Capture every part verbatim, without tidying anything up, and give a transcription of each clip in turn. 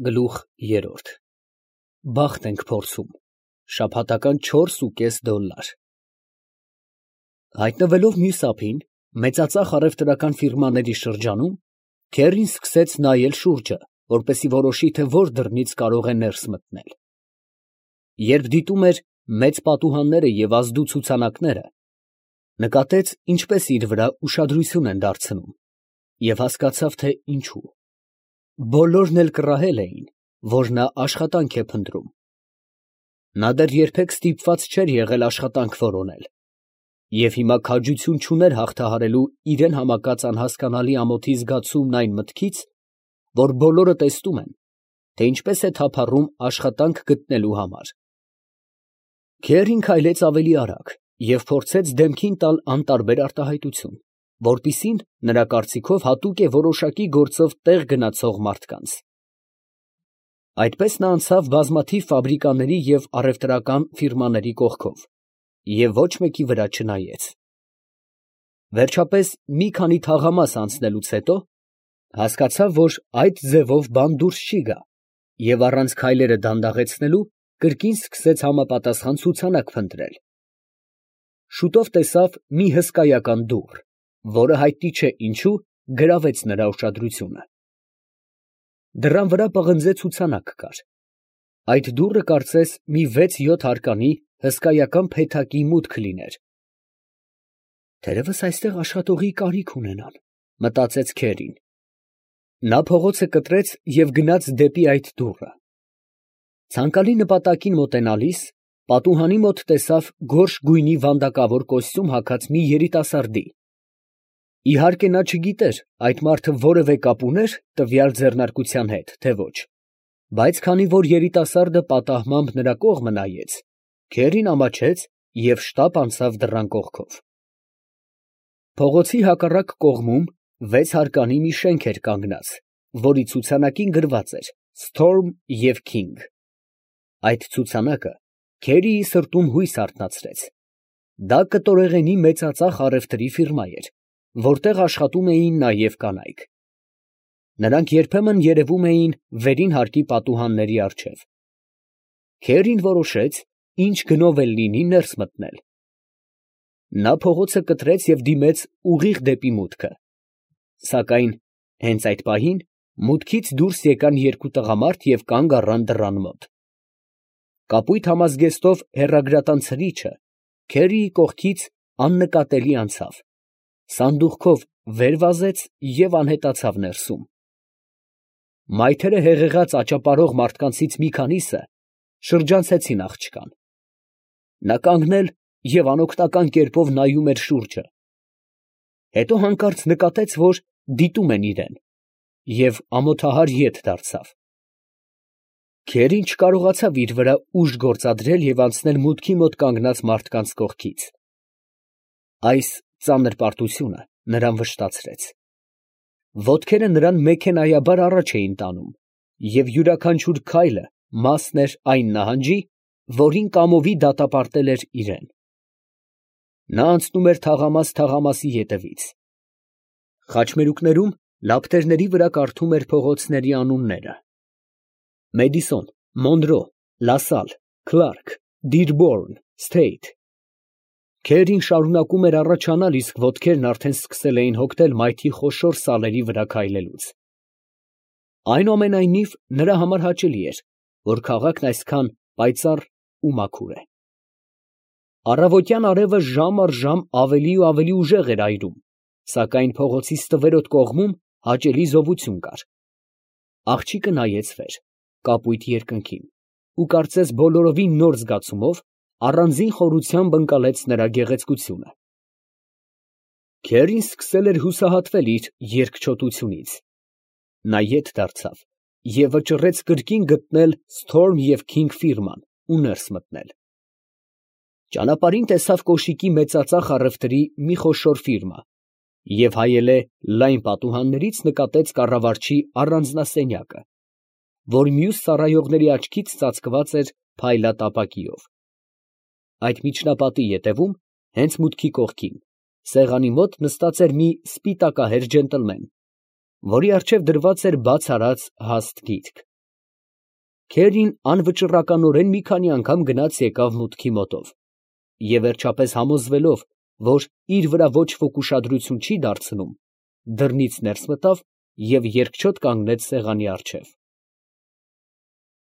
Գլուխ երրորդ Բախտ ենք փորձում, շաբաթական չորսուկես դոլլար։ Հայտնվելով մյուս ափին, մեծածախ առևտրական ֆիրմաների շրջանում, քեռին սկսեց նայել շուրջը, որպեսզի որոշի, թե որ դռնից կարող է ներս մտնել։ Երբ դիտում էր մեծ պատուհանները և ազդու ցուցանակները, նկատեց, ինչպես իր վրա ուշադրություն են դարձնում, և հասկացավ, թե ինչու։ Բոլորն էլ կռահել էին, որ նա աշխատանք է փնտրում։ Նա դեռ երբեք ստիպված չէր եղել աշխատանք որոնել, և հիմա քաջություն չուներ հաղթահարելու իրան համակած անհասկանալի ամոթի զգացումն այն մտքից, որ բոլորը տեսնում են, թե ինչպես է թափառում աշխատանք գտնելու համար։ Քեռին քայլեց ավելի արագ և փորձեց դեմքին տալ անտարբեր արտահայտություն, որպիսին, նրա կարծիքով, հատուկ է որոշակի գործով տեղ գնացող մարդկանց։ Այդպես նա անցավ բազմաթիվ ֆաբրիկաների և առևտրական ֆիրմաների կողքով և ոչ մեկի վրա չնայեց։ Վերջապես, մի քանի թաղամաս անցնելուց հետո, հասկացավ, որ այդ ձևով բան դուրս չի գա, և առանց քայլերը դանդաղեցնելու, կրկին սկսեց համապատասխան ցուցանակ փնտրել։ Շուտով տեսավ մի հսկայական դուռ, որը հայտնի չէ ինչու գրավեց նրա ուշադրությունը։ Դռան վրա պղնձե ցուցանակ կար։ Այդ դուռը կարծես մի վեց֊յոթ հարկանի հսկայական փեթակի մուտք լիներ։ «Թերևս այստեղ աշխատողի կարիք ունենան», մտածեց քեռին։ Նա փողոցը կտրեց և գնաց դեպի այդ դուռը։ Ցանկալի նպատակին մոտենալիս, պատուհանի մոտ տեսավ գորշ գույնի վանդակավոր կոստյում հագած մի երիտասարդի։ Իհարկե, նա չգիտեր այդ մարդը որևէ կապ ուներ տվյալ ձեռնարկության հետ, թե ոչ, բայց քանի որ երիտասարդը պատահմամբ նրա կողմը նայեց, քեռին ամաչեց և շտապ անցավ դռան կողքով։ Փողոցի հակառակ կողմում վեց հարկանի մի շենք էր կանգնած, որի ցուցանակին գրված էր «Սթորմ և Քինգ»։ Այդ ցուցանակը քերիի սրտում հույս արթնացրեց։ Դա կտորեղենի մեծածախ առևտրի ֆիրմա էր, որտեղ աշխատում էին նաև կանայք։ Նրանք երբեմն երևում էին վերին հարկի պատուհանների առջև։ Քեռին որոշեց, ինչ գնով էլ լինի, ներս մտնել։ Նա փողոցը կտրեց և դիմեց ուղիղ դեպի մուտքը։ Սակայն հենց այդ պահին մուտքից դուրս եկան երկու տղամարդ և կանգ առան դռան մոտ։ Կապույտ համազգեստով հեռագրատան ցրիչը քերիի կողքից աննկատելի անցավ, սանդուղքով վեր վազեց և անհետացավ ներսում։ Մայթերը հեղեղած աճապարող մարդկանցից մի քանիսը շրջանցեցին աղջկան։ Նա կանգնել և անօգնական կերպով նայում էր շուրջը։ Հետո հանկարծ նկատեց, որ դիտում են իրան, և ամոթահար ետ դարձավ։ Քերին չկարողացավ իր վրա ուժ գործադրել և անցնել մուտքի մոտ կանգնած մարդկանց կողքից։ Այս ծանր պարտությունը նրան վշտացրեց։ Ոտքերը նրան մեքենայաբար առաջ էին տանում, և յուրաքանչյուր քայլը մասն էր այն նահանջի, որին կամովի դատապարտել էր իրան։ Նա անցնում էր թաղամաս թաղամասի ետևից։ Խաչմերուկներում լապտերների վրա կարդում էր փողոցների անունները. Մեդիսոն, Մոնրո, Լասալ, Քլարք, Դիրբորն, Սթեյթ։ Քերին շարունակում էր առաջանալ, իսկ ոտքերն արդեն սկսել էին հոգնել մայթի խոշոր սալերի վրա քայլելուց։ Այնուամենայնիվ, նրա համար հաճելի էր, որ քաղաքն այսքան պայծառ ու մաքուր է։ Առավոտյան արևը ժամ առ ժամ ավելի ու ավելի ուժեղ էր այրում, սակայն փողոցի ստվերոտ կողմում հաճելի զովություն կար։ Աղջիկը նայեց վեր, կապույտ երկնքին, ու կարծես բոլորովին նոր զգացումով առանձին խորությամբ ընկալեց նրա գեղեցկությունը։ Քերին սկսել էր հուսահատվել իր երկչոտությունից։ Նա ետ դարձավ և վճռեց կրկին գտնել Սթորմ և Քինգ ֆիրման ու ներս մտնել։ Ճանապարհին տեսավ կոշիկի մեծածախ առևտրի մի խոշոր ֆիրմա և հայելե լայն պատուհաններից նկատեց կառավարչի առանձնասենյակը, որ մյուս ծառայողների աչքից ծածկված էր փայլատ ապակիով։ Այդ միջնապատի ետևում, հենց մուտքի կողքին, սեղանի մոտ նստած էր մի սպիտակահեր ջենտլմեն, որի առջև դրված էր բաց արած հաստ գիրք։ Քերին անվճռականորեն մի քանի անգամ գնաց եկավ մուտքի մոտով և վերջապես համոզվելով, որ իր վրա ոչ ոք ուշադրություն չի դարձնում, դռնից ներս մտավ և երկչոտ կանգնեց սեղանի առջև։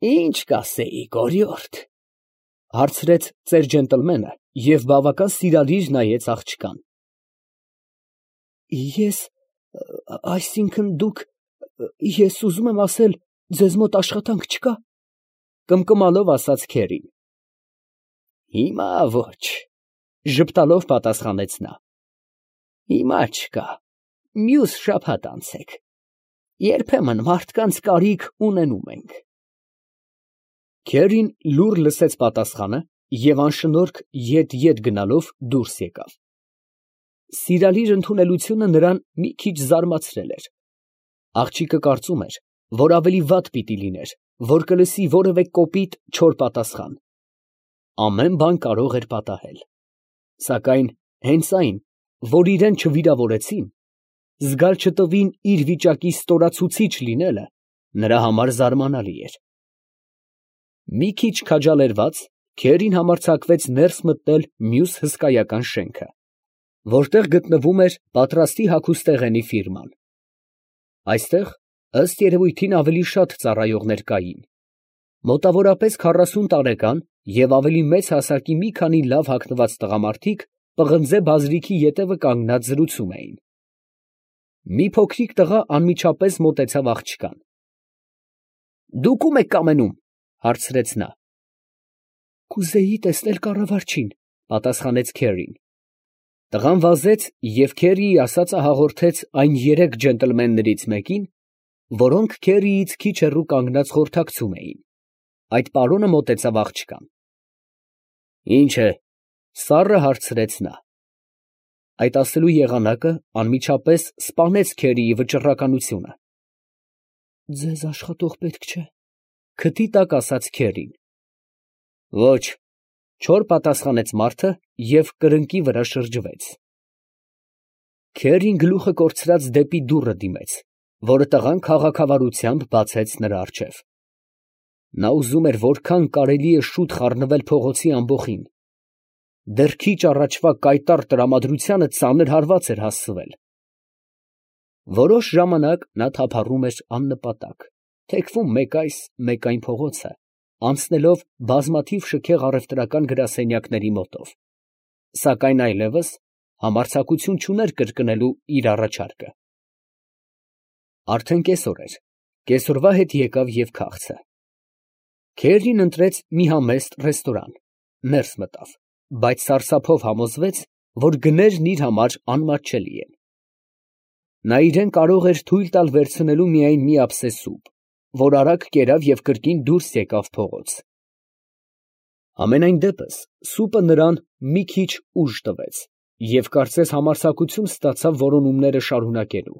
֊ Ի՞նչ կասեիք, օրիորդ, ֊ հարցրեց ծեր ջենտլմենը և բավական սիրալիր նայեց աղջկան։ ֊ Ես… այսինքն… դուք… ես ուզում եմ ասել, ձեզ մոտ աշխատանք չկա… ֊ կմկմալով ասաց քերին։ ֊ Հիմա ոչ, ֊ ժպտալով պատասխանեց նա. ֊ հիմա չկա, մյուս շաբաթ անցեք, երբեմն մարդկանց կարիք ունենում ենք։ Քերին լուռ լսեց պատասխանը և անշնորհք ետ֊ետ գնալով դուրս եկավ։ Սիրալիր ընդունելությունը նրան մի քիչ զարմացրել էր. աղջիկը կարծում էր, որ ավելի վատ պիտի լիներ, որ կլսի որևէ կոպիտ, չոր պատասխան. ամեն բան կարող էր պատահել, սակայն հենց այն, որ իրան չվիրավորեցին, զգալ չտվին իր վիճակի ստորացուցիչ լինելը, նրա համար զարմանալի էր։ Մի քիչ քաջալերված, քերին համարձակվեց ներս մտնել մյուս հսկայական շենքը, որտեղ գտնվում էր պատրաստի հագուստեղենի ֆիրման։ Այստեղ, ըստ երևույթին, ավելի շատ ծառայողներ կային, մոտավորապես քառասուն տարեկան և ավելի մեծ հասակի մի քանի լավ հագնված տղամարդիկ պղնձե բազրիքի ետևը կանգնած զրուցում էին։ Մի փոքրիկ տղա անմիջապես մոտեցավ աղջկան։ ֊ Դուք ո՞ւմ եք կամենում, ֊ հարցրեց նա։ ֊ Կուզեի տեսնել կառավարչին, ֊ պատասխանեց քերին։ Տղան վազեց և քերիի ասածը հաղորդեց այն երեք ջենտլմեններից մեկին, որոնք քերիից քիչ հեռու կանգնած խորհրդակցում էին։ Այդ պարոնը մոտեցավ աղջկան։ ֊ Ի՞նչ է, ֊ սառը հարցրեց նա։ Այդ ասելու եղանակը անմիջապես սպանեց քերիի վճռականությունը։ ֊ Ձեզ աշխատող պետք չէ, ֊ քթի տակ ասաց քերին։ ֊ Ոչ, ֊ չոր պատասխանեց մարդը և կրկնակի վրա շրջվեց։ Քերին գլուխը կորցրած դեպի դուռը դիմեց, որը տղան քաղաքավարությամբ բացեց նրա առջև։ Նա ուզում էր որքան կարելի է շուտ խառնվել փողոցի ամբոխին. դեռ քիչ առաջվա կայտառ տրամադրությանը ծանր հարված էր հասցվել։ Որոշ ժամանակ նա թափառում էր աննպատակ, թեքվում մեկ այս, մեկ այն փողոցը, անցնելով բազմաթիվ շքեղ առևտրական գրասենյակների մոտով, սակայն այլևս համարձակություն չուներ կրկնելու իր առաջարկը։ Արդեն կեսօր էր, կեսօրվա հետ եկավ և քաղցը։ Քերին ընտրեց մի համեստ ռեստորան, ներս մտավ, բայց սարսափով համոզվեց, որ գներն իր համար անմատչելի են։ Նա իրան կարող էր թույլ տալ վերցնելու միայն մի ափսե սուպ, որ արագ կերավ և կրկին դուրս եկավ փողոց։ Համենայն դեպս սուպը նրան մի քիչ ուժ տվեց և կարծես համարձակություն ստացավ որոնումները շարունակելու։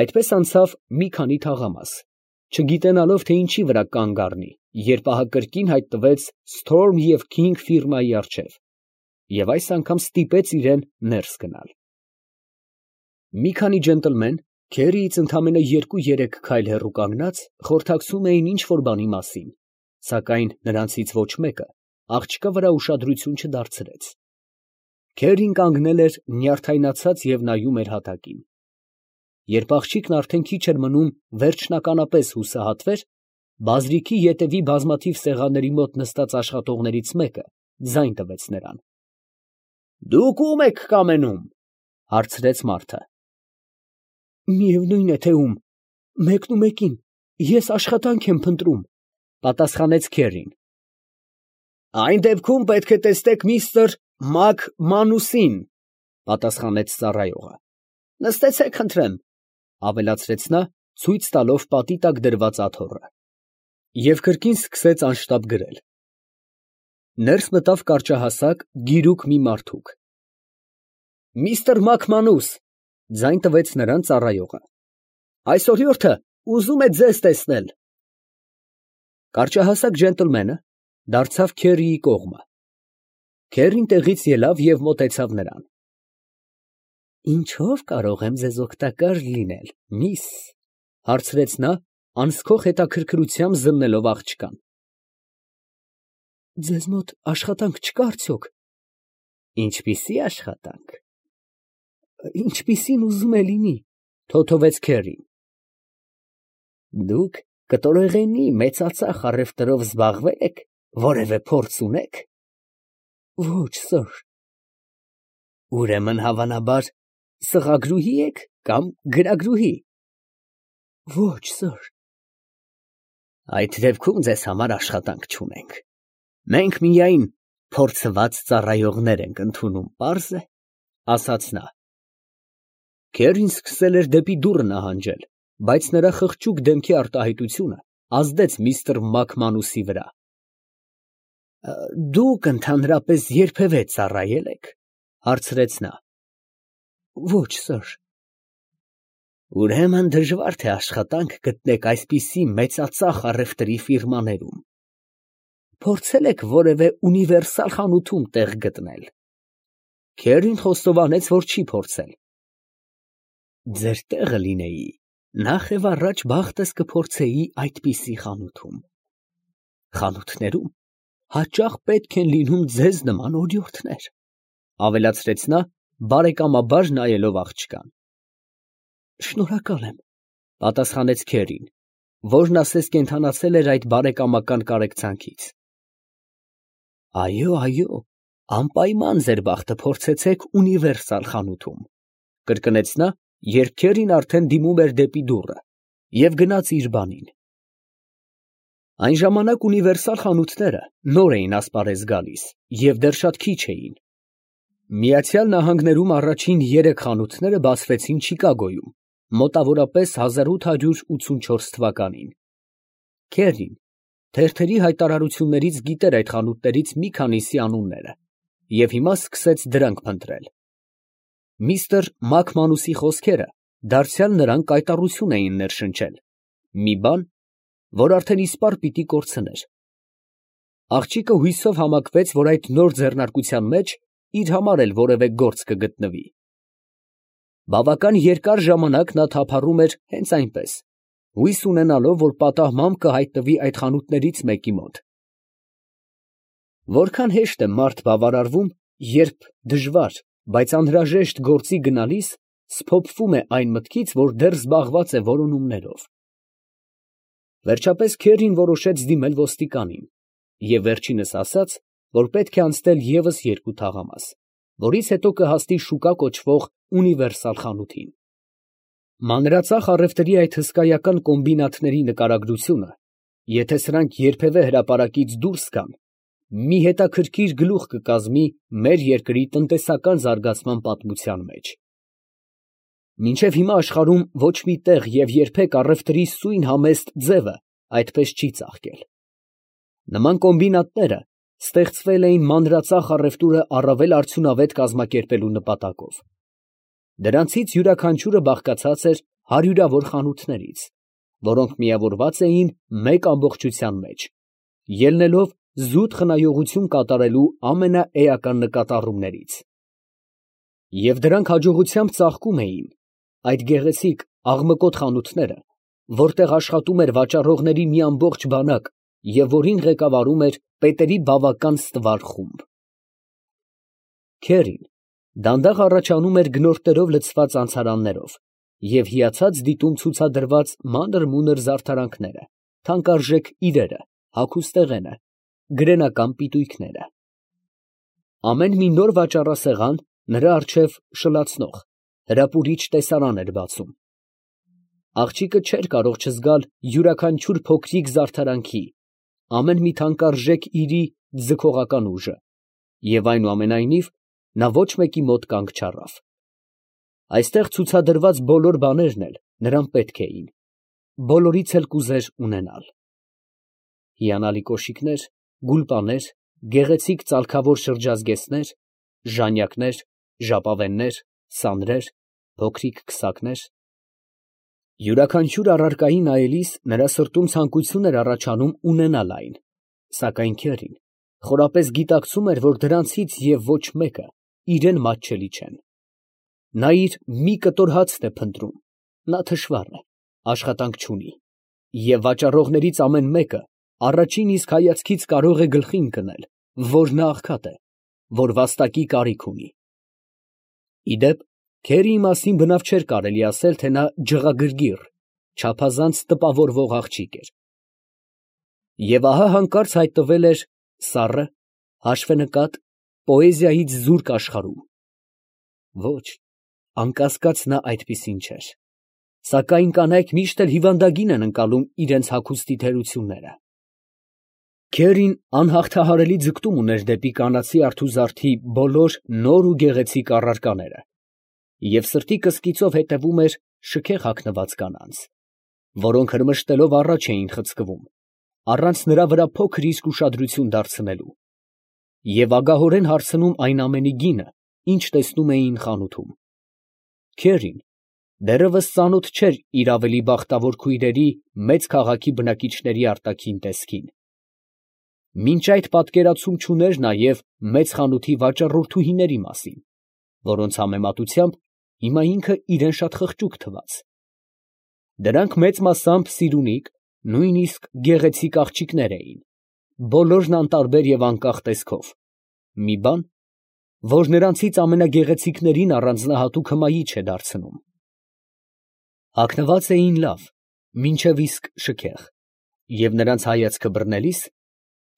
Այդպես անցավ մի քանի թաղամաս, չգիտենալով, թե ինչի վրա կանգ առնի, երբ ահա կրկին հայտնվեց «Սթորմ և Քինգ» ֆիրմայի առջև և այս անգամ ստիպեց իրան ներս գնալ։ Մի քանի ջենտլմեն, քերիից ընդամենը երկու֊երեք քայլ հեռու կանգնած, խորհրդակցում էին ինչ֊որ բանի մասին, սակայն նրանցից ոչ մեկը աղջկա վրա ուշադրություն չդարձրեց։ Քերին կանգնել էր նյարդայնացած և նայում էր հատակին։ Երբ աղջիկն արդեն քիչ էր մնում վերջնականապես հուսահատվեր, բազրիքի ետևի բազմաթիվ սեղանների մոտ նստած աշխատողներից մեկը ձայն տվեց նրան։ ֊ Դուք ո՞ւմ եք կամենում, ֊ հարցրեց մարդը։ ֊ Միևնույն է թե ում, մեկնումեկին, ես աշխատանք եմ փնտրում, ֊ պատասխանեց քերին։ ֊ Այն դեպքում պետք է տեսնեք միստր Մակմանուսին, ֊ պատասխանեց ծառայողը։ ֊ Նստեցեք խնդրեմ, ֊ ավելացրեց նա, ցույց տալով պատի տակ դրված աթոռը, և կրկին սկսեց անշտապ գրել։ Ներս մտավ կարճահասակ, գիրուկ մի մարդուկ։ ֊ Միստր Մակմանուս, ֊ ձայն տվեց նրան ծառայողը, ֊ այս օրիորդը ուզում է ձեզ տեսնել։ Կարճահասակ ջենտլմենը դարձավ քերիի կողմը։ Քերին տեղից ելավ և մոտեցավ նրան։ ֊ Ինչո՞վ կարող եմ ձեզ օգտակար լինել, միս, ֊ հարցրեց նա, անցքող հետաքրքրությամբ զննելով աղջկան։ Ձեզ մոտ աշխատանք չկա արդյոք։ Ինչպիսի աշխատանք։ Ինչպիսին ուզում է լինի, թոթովեց Քերին։ Դուք կտորեղենի մեծածախ առևտրով զբաղվե՞լ եք, որևէ փորձ ունեք։ Ոչ, սըր։ Ուրեմն հավանաբար սղագրուհի եք կամ գրագրուհի։ Ոչ, սըր։ Այդ դեպքում ձեզ համար աշխատանք չունենք։ Մենք միայն փորձված ծառայողներ ենք ընդունում, պարզ է, ասաց նա։ Քերին սկսել էր դեպի դուռը նահանջել, բայց նրա խղճուկ դեմքի արտահայտությունը ազդեց միստր Մակմանուսի վրա։ Դուք ընդհանրապես երբևէ ծառայել եք, հարցրեց նա։ Ոչ, սըր։ Ուրեմն դժվար թե աշխատանք գտնեք այսպիսի մեծածախ առևտրի ֆիրմաներում։ Փորձել եք որևէ ունիվերսալ խանութում տեղ գտնել։ Քերին խոստովանեց, որ չի փորձել։ Ձեր տեղը լինեի, նախ եւ առաջ բախտս կփորձեի այդպիսի խանութում։ Խանութներում հաճախ պետք են լինում ձեզ նման օրիորդներ, ավելացրեց նա, բարեկամաբար նայելով աղջկան։ Շնորհակալ եմ, պատասխանեց Քերին, որն ասես կենդանացել էր այդ բարեկամական կարեկցանքից։ Այո, այո, անպայման ձեր բախտը փորձեցեք ունիվերսալ խանութում, կրկնեց նա, երբ Քերին արդեն դիմում էր դեպի դուռը, և գնաց իր բանին։ Այն ժամանակ ունիվերսալ խանութները նոր էին ասպարեզ գալիս և դեռ շատ քիչ էին։ Միացյալ Նահանգներում առաջին երեք խանութները բացվեցին Չիկագոյում, մոտավորապես հազար ութ հարյուր ութսունչորս թվականին։ Քերին թերթերի հայտարարություններից գիտեր այդ խանութներից մի քանիսի անունները և հիմա սկսեց դրանք փնտրել։ Միստր Մակմանուսի խոսքերը դարձյալ նրան կայտառություն էին ներշնչել, մի բան, որ արդեն իսպառ պիտի կորցներ։ Աղջիկը հույսով համակվեց, որ այդ նոր ձեռնարկության մեջ իր համար էլ որևէ գործ կգտնվի։ Բավական երկար ժամանակ նա թափառում էր հենց այնպես, հույս ունենալով, որ պատահմամբ կհայտնվի այդ խանութներից մեկի մոտ։ Որքան հեշտ է մարդ բավարարվում, երբ դժվար, բայց անհրաժեշտ գործի գնալիս սփոփվում է այն մտքից, որ դեռ զբաղված է որոնումներով։ Վերջապես Քերին որոշեց դիմել ոստիկանին և վերջինս ասաց, որ պետք է անցնել ևս երկու թաղամաս, որից հետո կհասնի շուկա կոչվող ունիվերսալ խանութին։ Մանրածախ առևտրի այդ հսկայական կոմբինատների նկարագրությունը, եթե սրանք երբևէ հրապարակից դուրս գան, մի հետաքրքիր գլուխ կկազմի մեր երկրի տնտեսական զարգացման պատմության մեջ։ Մինչև հիմա աշխարհում ոչ մի տեղ և երբեք առևտրի սույն համեստ ձևը այդպես չի ծաղկել։ Նման կոմբինատները ստեղծվել էին մանրածախ առևտուրը առավել արդյունավետ կազմակերպելու նպատակով։ Դրանցից յուրաքանչյուրը բաղկացած էր հարյուրավոր խանութներից, որոնք միավորված էին մեկ ամբողջության մեջ, ելնելով զուտ խնայողություն կատարելու ամենաէական նկատառումներից։ Եվ դրանք հաջողությամբ ծաղկում էին, այդ գեղեցիկ աղմկոտ խանութները, որտեղ աշխատում էր վաճառողների մի ամբողջ բանակ և որին ղեկավարում էր պետերի բավական ստվար խումբ։ Քերին դանդաղ առաջանում էր գնորդներով լցված անցարաններով և հիացած դիտում ցուցադրված մանր֊մունր զարդարանքները, թանկարժեք իրերը, հագուստեղենը, գրենական պիտույքները։ Ամեն մի նոր վաճառասեղան նրա առջև շլացնող, հրապուրիչ տեսարան էր բացում։ Աղջիկը չէր կարող չզգալ յուրաքանչյուր փոքրիկ զարդարանքի, ամեն մի թանկարժեք իրի ձգողական ուժը, և այնուամենայնիվ նա ոչ մեկի մոտ կանգ չառավ։ Այստեղ ցուցադրված բոլոր բաներն էլ նրան պետք էին, բոլորից էլ կուզեր ունենալ։ Հիանալի կոշիկներ, գուլպաներ, գեղեցիկ ծալքավոր շրջազգեստներ, ժանյակներ, ժապավեններ, սանրեր, փոքրիկ քսակներ։ Յուրաքանչյուր առարկայի նայելիս նրա սրտում ցանկություն էր առաջանում ունենալ այն, սակայն Քերին խորապես գիտակցում էր, որ դրանցից և ոչ մեկը իրան մատչելի չեն։ Նա իր մի կտոր հացն է փնտրում, նա թշվառ է, աշխատանք չունի։ և վաճառողներից ամեն մեկը առաջին իսկ հայացքից կարող է գլխի ընկնել, որ նա աղքատ է, որ վաստակի կարիք ունի։ Ի դեպ, քերիի մասին բնավ չէր կարելի ասել, թե նա ջղագրգիռ, չափազանց տպավորվող աղջիկ էր։ Եվ ահա հանկարծ հայտնվել էր սառը, հաշվենկատ, պոեզիայից զուրկ աշխարհում։ Ոչ, անկասկած նա այդպիսին չէր, սակայն կանայք միշտ էլ հիվանդագին են ընկալում իրանց հագուստի թերությունները։ Քերին անհաղթահարելի ձգտում ուներ դեպի կանացի արթուզարդի բոլոր նոր ու գեղեցիկ առարկաները և սրտի կսկիծով հետևում էր շքեղ հագնված կանանց, որոնք հրմշտելով առաջ էին խցկվում, առանց նրա վրա փոքր իսկ ուշադրություն դարձնելու, և ագահորեն հարցնում այն ամենի գինը, ինչ տեսնում էին խանութում։ Քերին դեռևս ծանոթ չէր իր ավելի բախտավոր քույրերի մեծ քաղաքի բնակիչների արտաքին տեսքին։ Մինչ այդ պատկերացում չուներ նաև մեծ խանութի վաճառորդուհիների մասին, որոնց համեմատությամբ հիմա ինքը իրան շատ խղճուկ թվաց։ Դրանք մեծ մասամբ սիրունիկ, նույնիսկ գեղեցիկ աղջիկներ էին, բոլորն անտարբեր և անկախ տեսքով, մի բան, որ նրանցից ամենագեղեցիկներին առանձնահատուկ հմայիչ է դարձնում։ Հագնված էին լավ, մինչև իսկ շքեղ, և նրանց հայացքը բռնելիս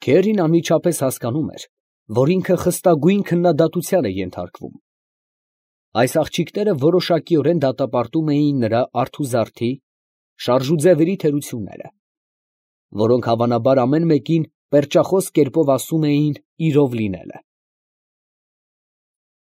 Քերին անմիջապես հասկանում էր, որ ինքը խստագույն քննադատության է ենթարկվում։ Այս աղջիկները որոշակիորեն դատապարտում էին նրա արթուզարդի, շարժուձևերի թերությունները, որոնք հավանաբար ամեն մեկին պերճախոս կերպով ասում էին իրով լինելը։